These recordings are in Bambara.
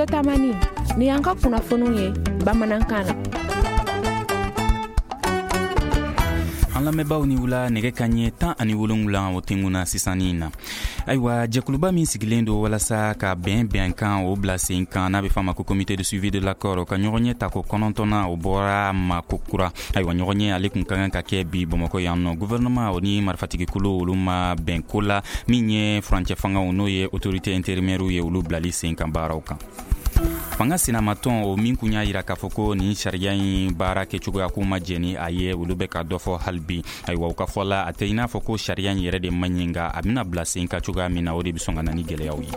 Studio Tamani, ni y'an ka kunnafoniw ye bamanankan na. An lamɛnbaaw ni wula. Nɛgɛ kanɲɛ 17, o tenkunna sisannin na. Ayiwa, jɛkuluba min sigilen don walasa ka bɛn bɛnkan o bila sen kan, n'a bɛ f'a ma ko Comité de suivi de l'accord, ka ɲɔgɔnye ta ko kɔnɔntɔnna, o bɔra ma ko kura. Ayiwa, ɲɔgɔnye ale kun ka kan ka kɛ bi Bamakɔ yan nɔ. Gouvernement o ni marifatigikulu, olu ma bɛn ko la min ye furancɛ fangaw, n'o ye autorité intérimaire ye, olu bilali sen kan baaraw kan. Fanga sinamatɔn o min kun y'a yira k'a fɔ ko nin sariya in baara kɛcogoya k'u ma jɛn ni a ye, olu bɛ ka dɔ fɔ hali bi. Ayiwa, u ka fɔ la, a tɛ i n'a fɔ ko sariya in yɛrɛ de man ɲi, nka a bɛna bila sen kan cogoya min na, o de bɛ sɔn ka na ni gwɛlɛyaw ye.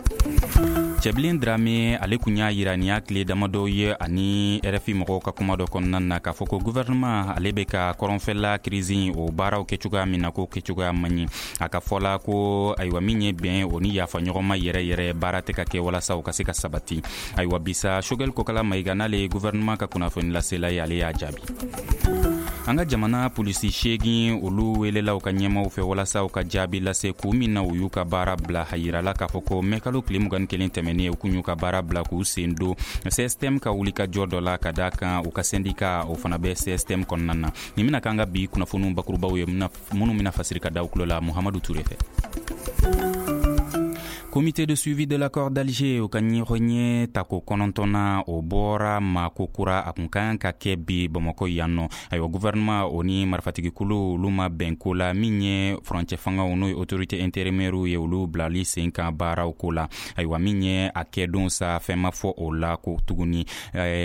Cɛbilen Drame, ale kun y'a yira nin y'a tile damadɔw ye ani RFI mɔgɔw ka kuma dɔ kɔnɔna na, k'a fɔ ko gouvernement ale bɛ ka kɔrɔnfɛla crise o baaraw kɛ cogoya min na, k'o kɛcogoya man ɲi. A ka fɔ la ko ayiwa, min ye bɛn o ni yafa ɲɔgɔnma yɛrɛ yɛrɛ, baara tɛ ka kɛ walasa o ka se ka sabati. Ayiwa, bisa Choguel Kokala Mayiga, n'ale ye gouvernement ka kunnafoni lasela ye, ale y'a jaabi. An ka jamana polisi seegin, olu welela u ka ɲɛmaw fɛ walasa u ka jaabi lase kun min na u y'u ka baara bila. A yirala k'a fɔ ko mɛkalo tile 21 tɛmɛnen, u kun y'u ka baara bila k'u sen don CSTM ka wulikajɔ dɔ la, ka da kan u ka sɛndika o fana bɛ CSTM kɔnɔna na. Nin bɛna k'an ka bi kunnafoniw bakurubaw ye, minnu bɛna fasiri ka da tulo la Muhamadu Ture fɛ. Comité de suivi de l'accord d'Alger, o ka ɲɔgɔnye tako kɔnɔntɔnna, o bɔra ma ko kura. A kun kan ka kɛ bi Bamakɔ yan nɔ. Ayiwa, gouvernement o ni marifatigikulu, olu ma bɛn ko la min ye furancɛ fangaw, n'o ye autorité intérimaire ye, olu bilali sen kan baaraw ko la. Ayiwa, min ye a kɛdon sa, fɛn ma fɔ o la ko tuguni.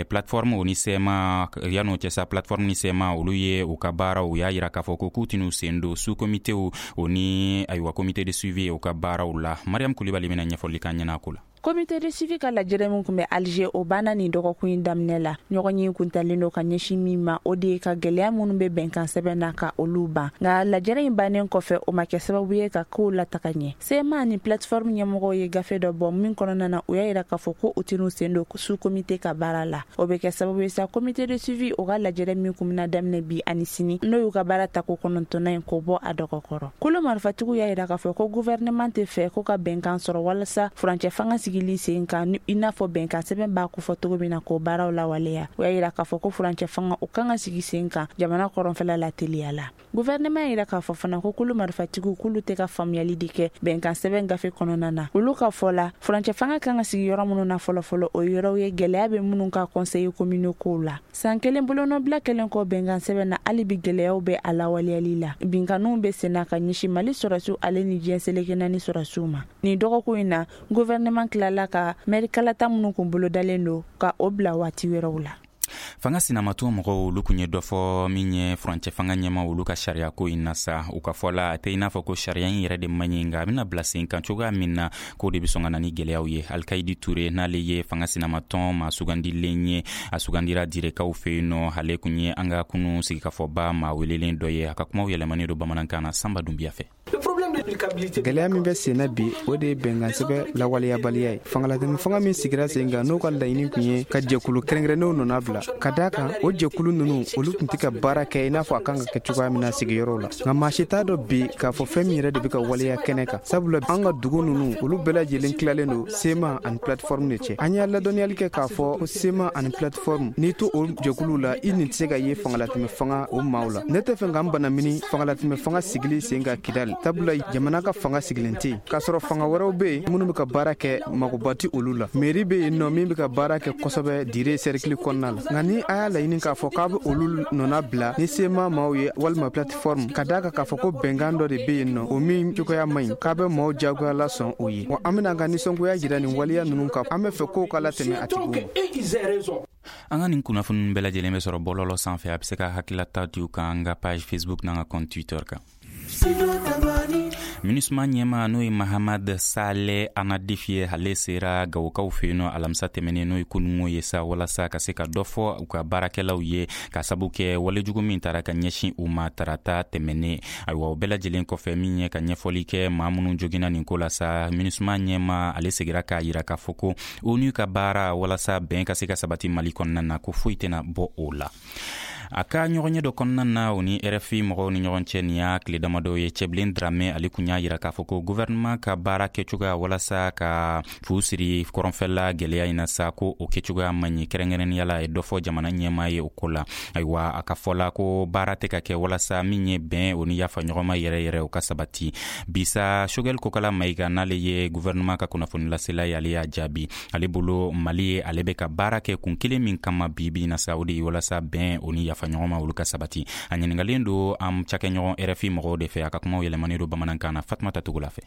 Plateforme o ni CMA, yan'o cɛ sa, plateforme ni CMA, olu ye u ka baaraw, u y'a yira k'a fɔ ko k'u tɛn'u sen don sous comité o ni, ayiwa, comité de suivi o ka baaraw la. Mariam Kulibali bɛna ɲɛfɔli k'an ɲɛna ko la. Comité de suivi ka lajɛrɛ min kun bɛ Alger, o banna nin dɔgɔkun in daminɛ la. Ɲɔgɔn ye kuntalen don ka ɲɛsin min ma, o de ye ka gwɛlɛya minnu bɛ bɛnkan sɛbɛn na, ka olu ban. Nka lajɛrɛ in bannen kɔfɛ, o ma kɛ sababu ye ka kow lataga ɲɛ. CMA ni plateforme ɲɛmɔgɔw ye gafe dɔ bɔ min kɔnɔna na, u y'a yira k'a fɔ ko u tɛn'u sen don sous comité ka baara la. O bɛ kɛ sababu ye sa, comité de suivi o ka lajɛrɛ min kun bɛna daminɛ bi ani sini, n'o y'u ka baara tako kɔnɔntɔnna ye, k'o bɔ a dɔgɔkɔrɔ. Kolo marifatigiw y'a yira k'a fɔ ko gouvernement tɛ fɛ ko ka bɛnkan sɔrɔ walasa furancɛ fanga sigili sen kan, i n'a fɔ bɛnkan sɛbɛn b'a kofɔ cogo min na, k'o baaraw lawaleya. O y'a yira k'a fɔ ko furancɛ fanga, o kan ka sigi sen kan jamana kɔrɔnfɛla la teliya la. Gouvernement y'a yira k'a fɔ fana ko kulu marifatigiw k'olu tɛ ka faamuyali de kɛ bɛnkan sɛbɛn gafe kɔnɔna na. Olu ka fɔ la, furancɛ fanga kan ka sigi yɔrɔ minnu na fɔlɔfɔlɔ, o yɔrɔw ye gɛlɛya bɛ minnu ka conseil communaux kow la. San kelen bolonɔbila kɛlen kɔ bɛnkan sɛbɛn na, hali bi gɛlɛyaw bɛ a lawaleyali la. Binkanniw bɛ senna ka ɲɛsin Mali sɔrɔsiw ale ni diɲɛ seleke naani sɔrɔsiw ma. Nin dɔgɔkun in na, gouvernement tilala ka mɛri kalata minnu kun bolodalen don, ka o bila waati wɛrɛw la. Fanga sinamatɔn mɔgɔw, olu kun ye dɔ fɔ min ye furancɛ fanga ɲɛma, olu ka sariya ko in na sa. U ka fɔ la, a tɛ i n'a fɔ ko sariya in yɛrɛ de man ɲi, nka a bɛna bila sen kan cogoya min na, k'o de bɛ sɔn ka na ni gwɛlɛyaw ye. Alikayidi Ture, n'ale ye fanga sinamatɔn maa sugandilen ye, a sugandira Direkaw fɛ yen nɔ, ale kun ye an ka kunu sigikafɔba maa welelen dɔ ye. A ka kumaw yɛlɛmanen don bamanankan na Sanba Dunbiya fɛ. Gɛlɛya min bɛ sen na bi, o de ye bɛnkansɛbɛ lawaleyabaliya ye. Fangalatɛmɛ fanga min sigira sen kan, n'o ka laɲini tun ye ka jɛkulu kɛrɛnkɛrɛnnenw nɔna bila, ka daa kan o jɛkulu ninnu, olu tun tɛ ka baara kɛ i n'a fɔ a kan ka kɛ cogoya min na sigiyɔrɔw la. Nka maa si t'a dɔn bi k'a fɔ fɛn min yɛrɛ de bɛ ka waleya kɛnɛ kan, sabula an ka dugu ninnu, olu bɛɛ lajɛlen tilalen don CMA ani plateforme de cɛ. An y'a ladɔnniyali kɛ k'a fɔ ko CMA ani plateforme, n'i to o jɛkuluw la, i nin tɛ se ka ye fangalatɛmɛ fanga o maaw la. Ne tɛ fɛ ka n banamini fangalatɛmɛ fanga sigili sen kan Kidali, sabula jamana ka fanga sigilen tɛ yen, k'a sɔrɔ fanga wɛrɛw bɛ yen minnu bɛ ka baara kɛ, magoba tɛ olu la. Mairie bɛ yen nɔ min bɛ ka baara kɛ kosɛbɛ Dire cercle kɔnɔna la. Nka ni a y'a laɲini k'a fɔ k'a bɛ olu nɔna bila ni CMA maaw ye walima plateforme, ka d'a kan k'a fɔ ko bɛnkan dɔ de bɛ yen nɔ, o min cogoya man ɲi, k'a bɛ maaw jagoya lasɔn o ye wa, an bɛna an ka nisɔngoya jira nin waleya ninnu kan. An bɛ fɛ kow ka latɛmɛ a tigiw ma. An ka nin kunnafoni bɛɛ lajɛlen bɛ sɔrɔ bɔlɔlɔ sanfɛ. A bɛ se ka hakililata di u kan an ka page Facebook n'an ka compte Twitter kan. MINUSMA ɲɛma, n'o ye Mahamad Salɛ Anadif ye, ale sera Gawokaw fɛ yen nɔ alamisa tɛmɛnen, n'o ye kunungo ye sa, walasa ka se ka dɔ fɔ u ka baarakɛlaw ye, ka sabu kɛ walejugu min tara ka ɲɛsin u ma tarata tɛmɛnen. Ayiwa, o bɛɛ lajɛlen kɔfɛ, min ye ka ɲɛfɔli kɛ maa minnu joginna nin ko la sa, MINUSMA ɲɛma ale segira k'a yira k'a fɔ ko ONU ka baara walasa bɛn ka se ka sabati Mali kɔnɔna na, ko foyi tɛna bɔ o la. A ka ɲɔgɔnye dɔ kɔnɔna na, o ni RFI mɔgɔw ni ɲɔgɔn cɛ, nin y'a tile damadɔ ye, Cɛbilen Dramɛ ale kun y'a yira k'a fɔ ko gouvernement ka baara kɛcogoya walasa ka fu siri kɔrɔnfɛla gwɛlɛya in na sa, ko o kɛcogoya man ɲi. Kɛrɛnkɛrɛnnenya la, a ye dɔ fɔ jamana ɲɛmaa ye o ko la. Ayiwa, a ka fɔ la ko baara tɛ ka kɛ walasa min ye bɛn o ni yafa ɲɔgɔnma yɛrɛ yɛrɛ, o ka sabati. Bisa, Choguel Kokala Mayiga, n'ale ye gouvernement ka kunnafoni lasela ye, ale y'a jaabi. Ale bolo, Mali ye, ale bɛ ka baara kɛ kun kelen min kama bi bi na sa, o de ye walasa bɛn o ni yafa ɲɔgɔn ma, olu ka sabati. A ɲiningalen don an cakɛɲɔgɔn RFI mɔgɔw de fɛ. A ka kumaw yɛlɛmanen don bamanankan na Fatumata Togola fɛ.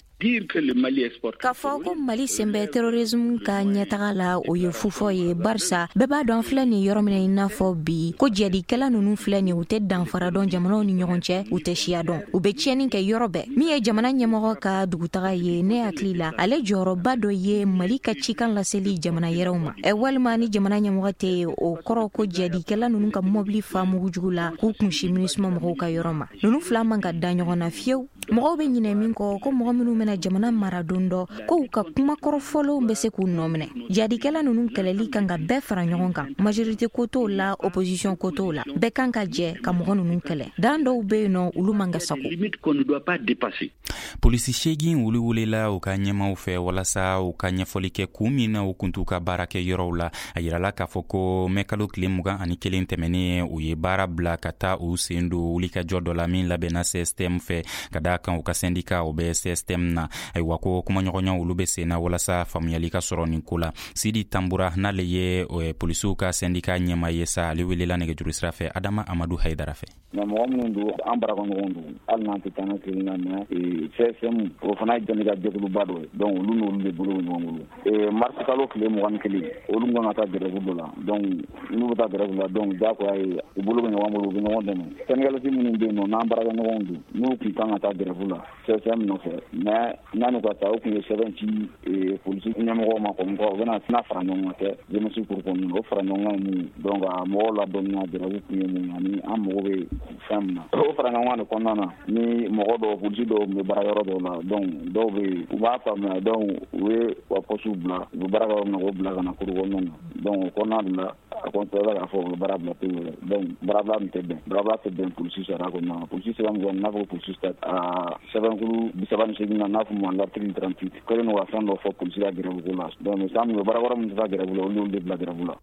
K'a fɔ ko Mali sen bɛ terrorisme ka ɲɛtaga la, o ye fufɔ ye, barisa bɛɛ b'a dɔn, filɛ nin yɔrɔ min na, i n'a fɔ bi, ko jadikɛla ninnu filɛ nin, u tɛ danfara dɔn jamanaw ni ɲɔgɔn cɛ, u tɛ siya dɔn, u bɛ tiɲɛni kɛ yɔrɔ bɛɛ. Min ye jamana ɲɛmɔgɔ ka dugutaga ye, ne hakili la, ale jɔyɔrɔba dɔ ye Mali ka cikan laseli jamana yɛrɛw ma. Ɛ, walima ni jamana ɲɛmɔgɔ tɛ yen, o kɔrɔ ko jadikɛla ninnu ka mɔbili fa mugujugu la k'u kunsi MINUSMA mɔgɔw ka yɔrɔ ma. Ninnu fila man ka da ɲɔgɔn na fiyewu. Mɔgɔw bɛ ɲinɛ min kɔ, ko mɔgɔ minnu bɛna jamana mara don dɔ, ko u ka kuma kɔrɔfɔlenw bɛ se k'u nɔ minɛ. Jadikɛla ninnu kɛlɛli kan ka bɛɛ fara ɲɔgɔn kan, majorité ko t'o la, opposition ko t'o la, bɛɛ kan ka jɛ ka mɔgɔ ninnu kɛlɛ. Dan dɔw bɛ yen nɔ, olu man ka sago. Polisi 8, olu welela u ka ɲɛmaw fɛ walasa u ka ɲɛfɔli kɛ kun min na u kun t'u ka baara kɛ yɔrɔw la. A yirala k'a fɔ ko mɛkalo tile 21 tɛmɛnen, u ye baara bila ka taa u sen don wulikajɔ dɔ la min labɛnna CSTM fɛ, ka daa kan u ka sɛndika, o bɛ CSTM na. Ayiwa, ko kumaɲɔgɔnya, olu bɛ sen na walasa faamuyali ka sɔrɔ nin ko la. Sidi Tanbura, n'ale ye polisiw ka sɛndika ɲɛma ye sa, ale welela nɛgɛjuru sira fɛ Adama Amadu Hayidara fɛ. Nka mɔgɔ minnu don, an baarakɛɲɔgɔnw don, hali n'an tɛ taa kelen na, mais CSM, o fana ye syndicat jɛkuluba dɔ ye. Donc olu n'olu de bolo bɛ ɲɔgɔn bolo. Mars kalo tile 21, olu kan ka taa grève dɔ la. Donc n'u bɛ taa grève la, donc diyagoya ye, u bolo bɛ ɲɔgɔn bolo, u bɛ ɲɔgɔn dɛmɛ. Syndicaliste minnu bɛ yen nɔ, n'an baarakɛɲɔgɔnw don, n'u tun kan ka taa grève la CSM nɔfɛ, mais n'u ka taa, u tun ye sɛbɛn ci polisi ɲɛmɔgɔw ma comme quoi u bɛna tɛna fara ɲɔgɔn kan kɛ jeunesse kuru kɔnɔna na. O fara ɲɔgɔn kan ye mun ye? Donc a mɔgɔw ladɔnniya grève kun ye mun ye ani an mago bɛ fɛn min na. O fara ɲɔgɔn kan de kɔnɔna na, ni mɔgɔ dɔw, polisi dɔw tun bɛ baara yɔrɔ dɔw la, donc dɔw bɛ yen, u b'a faamuya, donc u ye u ka poste bila, u bɛ baara kɛ yɔrɔ min na, k'o bila ka na kuru kɔnɔna na. Donc o kɔnɔna de la, a kɔni k'a fɔ u bɛ baara bila pewu yɛrɛ. Donc baarabila min tɛ bɛn, baarabila tɛ bɛn polisi sariya kɔnɔna na. Polisi sɛbɛn min n'a fɔ polisi a sɛbɛnkuru 38 na, n'a fɔ ma l'article 38, kɛlen don ka fɛn dɔ fɔ polisi ka grève ko la. Donc san min baara kɔrɔ min tɛ taa grève la, olu y'olu de bila grève la.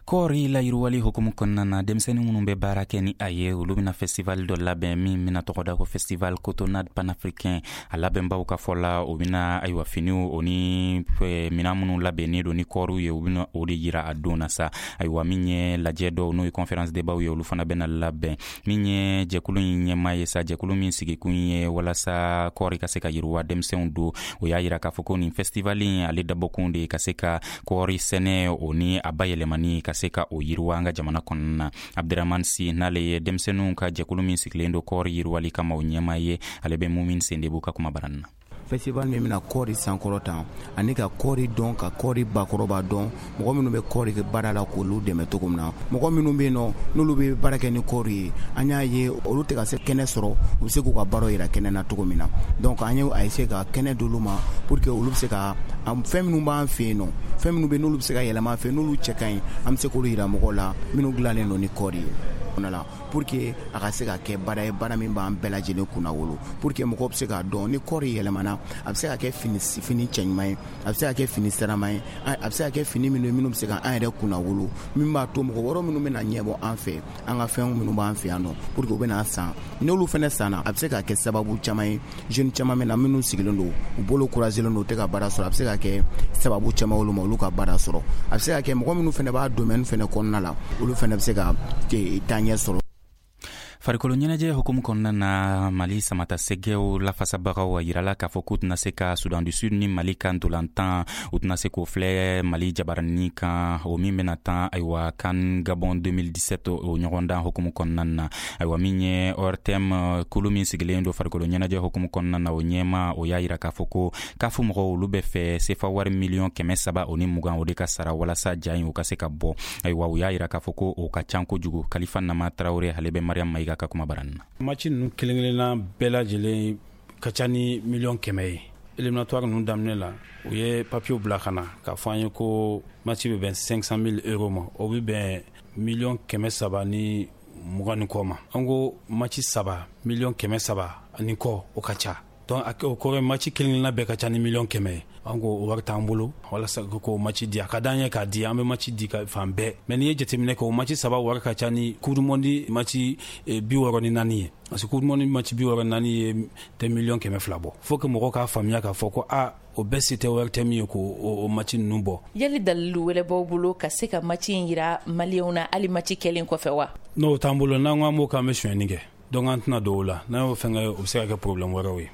Kɔɔri layiriwali hukumu kɔnɔna na, denmisɛnnin minnu bɛ baara kɛ ni a ye, olu bɛna festival dɔ labɛn min bɛna tɔgɔ da ko Festival Cotonnade Panafricain. A labɛnbaw ka fɔ la, o bɛna, ayiwa, finiw o ni minan minnu labɛnnen don ni kɔɔriw ye, u bɛna o de yira a don na sa. Ayiwa, min ye lajɛ dɔw, n'o ye conférence débat ye, olu fana bɛna labɛn. Min ye jɛkulu in ɲɛmaa ye sa, jɛkulu min sigikun ye walasa kɔɔri ka se ka yiriwa denmisɛnw don, o y'a yira k'a fɔ ko nin festival in, ale dabɔkun de ye ka se ka kɔɔri sɛnɛ o ni a bayɛlɛmani, ka se ka o yiriwa an ka jamana kɔnɔna na. Abdiraman Si, n'ale ye denmisɛnninw ka jɛkulu min sigilen don kɔɔri yiriwali kama, o ɲɛmaa ye, ale bɛ Mumin Sendebu ka kuma barani na. Festival min bɛna kɔɔri sankɔrɔ tan ani ka kɔɔri dɔn, ka kɔɔri bakɔrɔba dɔn, mɔgɔ minnu bɛ kɔɔri kɛ baara la, k'olu dɛmɛ cogo min na. Mɔgɔ minnu bɛ yen nɔ, n'olu bɛ baara kɛ ni kɔɔri ye, an y'a ye olu tɛ ka se kɛnɛ sɔrɔ, u bɛ se k'u ka baaraw yira kɛnɛ na cogo min na. Donc an ye a essayer ka kɛnɛ d'olu ma pour que olu bɛ se ka fɛn minnu b'an fɛ yen nɔ, fɛn minnu bɛ n'olu bɛ se ka yɛlɛma an fɛ, n'olu cɛ ka ɲi, an bɛ se k'olu yira mɔgɔw la, minnu dilannen don ni kɔɔri ye la, pour que a ka se ka kɛ baara ye, baara min b'an bɛɛ lajɛlen kunna wolo, pour que mɔgɔw bɛ se k'a dɔn ni kɔɔri yɛlɛmana, a bɛ se ka kɛ fini cɛɲuman ye, a bɛ se ka kɛ fini sirama ye, a bɛ se ka kɛ fini minnu bɛ se ka an yɛrɛ kunna wolo, min b'a to mɔgɔ wɛrɛ minnu bɛna ɲɛbɔ an fɛ, an ka fɛn minnu b'an fɛ yan nɔ, pour que u bɛna san. N'olu fana sanna, a bɛ se ka kɛ sababu caman ye, jeune caman bɛ na minnu sigilen don, u bolo couragelen don, u tɛ ka baara sɔrɔ, a bɛ se ka kɛ sababu caman olu ma, olu ka baara sɔrɔ. A bɛ se ka kɛ mɔgɔ minnu fana b'a domaine fana kɔnɔna la, olu fana bɛ se ka taa ɲɛ sɔrɔ. Farikolo ɲɛnajɛ hukumu kɔnɔna na, Mali samata sɛgɛw lafasabagaw a yirala k'a fɔ k'u tɛna se ka Sudan du Sud ni Mali ka ntolantan, u tɛna se k'o filɛ Mali jabarani kan, o min bɛna tan, ayiwa, CAN Gabon 2017, o ɲɔgɔndan hukumu kɔnɔna na. Ayiwa, min ye ORTM kulu min sigilen don farikolo ɲɛnajɛ hukumu kɔnɔna na, o ɲɛma, o y'a yira k'a fɔ ko kafu mɔgɔw, olu bɛ fɛ sefa wari miliyɔn 320, o de ka sara walasa ja in, o ka se ka bɔ. Ayiwa, u y'a yira k'a fɔ ko o ka ca kojugu. Kalifa Nama Tarawele, ale bɛ Mariam Mayiga ka kuma barani na. Match ninnu kelen kelenna bɛɛ lajɛlen ka ca ni miliyɔn 100 ye. Éliminatoire ninnu daminɛ la, u ye papiyew bila ka na k'a fɔ an ye ko match bɛ bɛn 500 000 euros ma, o bɛ bɛn miliyɔn 320. 20 ni kɔ ma. An ko match 3 300 miliyɔn ani kɔ, o ka ca. Donc o kɔrɔ ye match kelen kelenna bɛɛ ka ca ni 100 miliyɔn ye. An ko o wari t'an bolo walasa k'o match di. A ka d'an ye k'a di, an bɛ match di ka fan bɛɛ, mais n'i ye jateminɛ kɛ, o match 3 wari ka ca ni Coupe du monde match 64 ye, parce que Coupe du monde match 64 ye tɛ 200 miliyɔn bɔ. Faut que mɔgɔw k'a faamuya k'a fɔ ko a o bɛɛ se tɛ, wari tɛ min ye k'o o match ninnu bɔ. Yali dalilu wɛrɛ b'aw bolo ka se ka match in yira Maliyɛnw na hali match kɛlen kɔfɛ wa? N'o t'an bolo, n'an ko an b'o k'an bɛ sonyɛni kɛ. Donc an tɛna don o la. N'an y'o fɛn kɛ, o bɛ se ka kɛ problème wɛrɛw ye.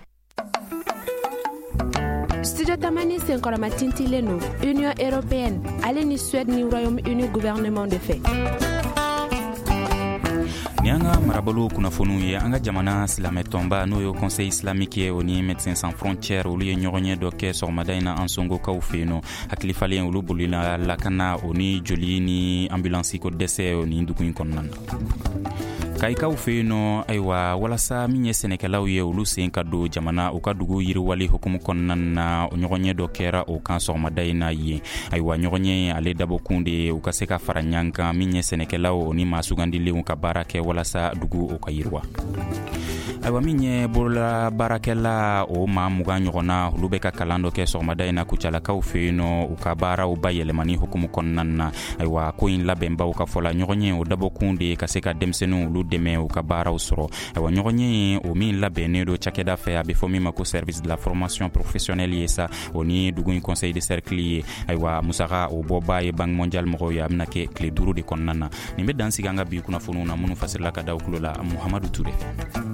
Studio Tamani senkɔrɔma tintilen don Union européenne ale ni Suède ni Royaume Uni gouvernement de fɛ. Ni an ka marabolo kunnafoniw ye, an ka jamana silamɛtɔnba, n'o ye Conseil islamique ye, o ni Médecins sans frontières, olu ye ɲɔgɔnye dɔ kɛ sɔgɔmada in na Ansongokaw fɛ yen nɔ. Hakilifalen olu bolila lakana o ni joli ni ambulance ko dɛsɛ o ni dugu in kɔnɔna na. Kayikaw fɛ yen nɔ, ayiwa, walasa min ye sɛnɛkɛlaw ye, olu sen ka don jamana u ka dugu yiriwali hukumu kɔnɔna na, ɲɔgɔnye dɔ kɛra o kan sɔgɔmada in na yen. Ayiwa, ɲɔgɔnye ale dabɔkun de ye u ka se ka fara ɲɔgɔn kan, min ye sɛnɛkɛlaw ni maa sugandilenw, ka baara kɛ walasa dugu o ka yiriwa. Ayiwa, min ye bolola baarakɛla o maa 20 ɲɔgɔnna, olu bɛ ka kalan dɔ kɛ sɔgɔmada in na Kucalakaw fɛ yen nɔ, u ka baaraw bayɛlɛmani hukumu kɔnɔna na. Ayiwa, ko in labɛnbaw ka fɔ la, ɲɔgɔnye o dabɔkun de ye ka se ka denmisɛnninw olu dɛmɛ u ka baaraw sɔrɔ. Ayiwa, ɲɔgɔnye o min labɛnnen don cakɛda fɛ, a bɛ fɔ min ma ko Service de la formation professionnelle ye sa, o ni dugu in conseil de cercle ye. Ayiwa, musaka o bɔba ye Banque mondiale mɔgɔw ye. A bɛna kɛ tile 5 de kɔnɔna na. Nin bɛ dan sigi an ka bi kunnafoniw na, minnu fasirila ka da kulo la Muhamadu Ture fɛ.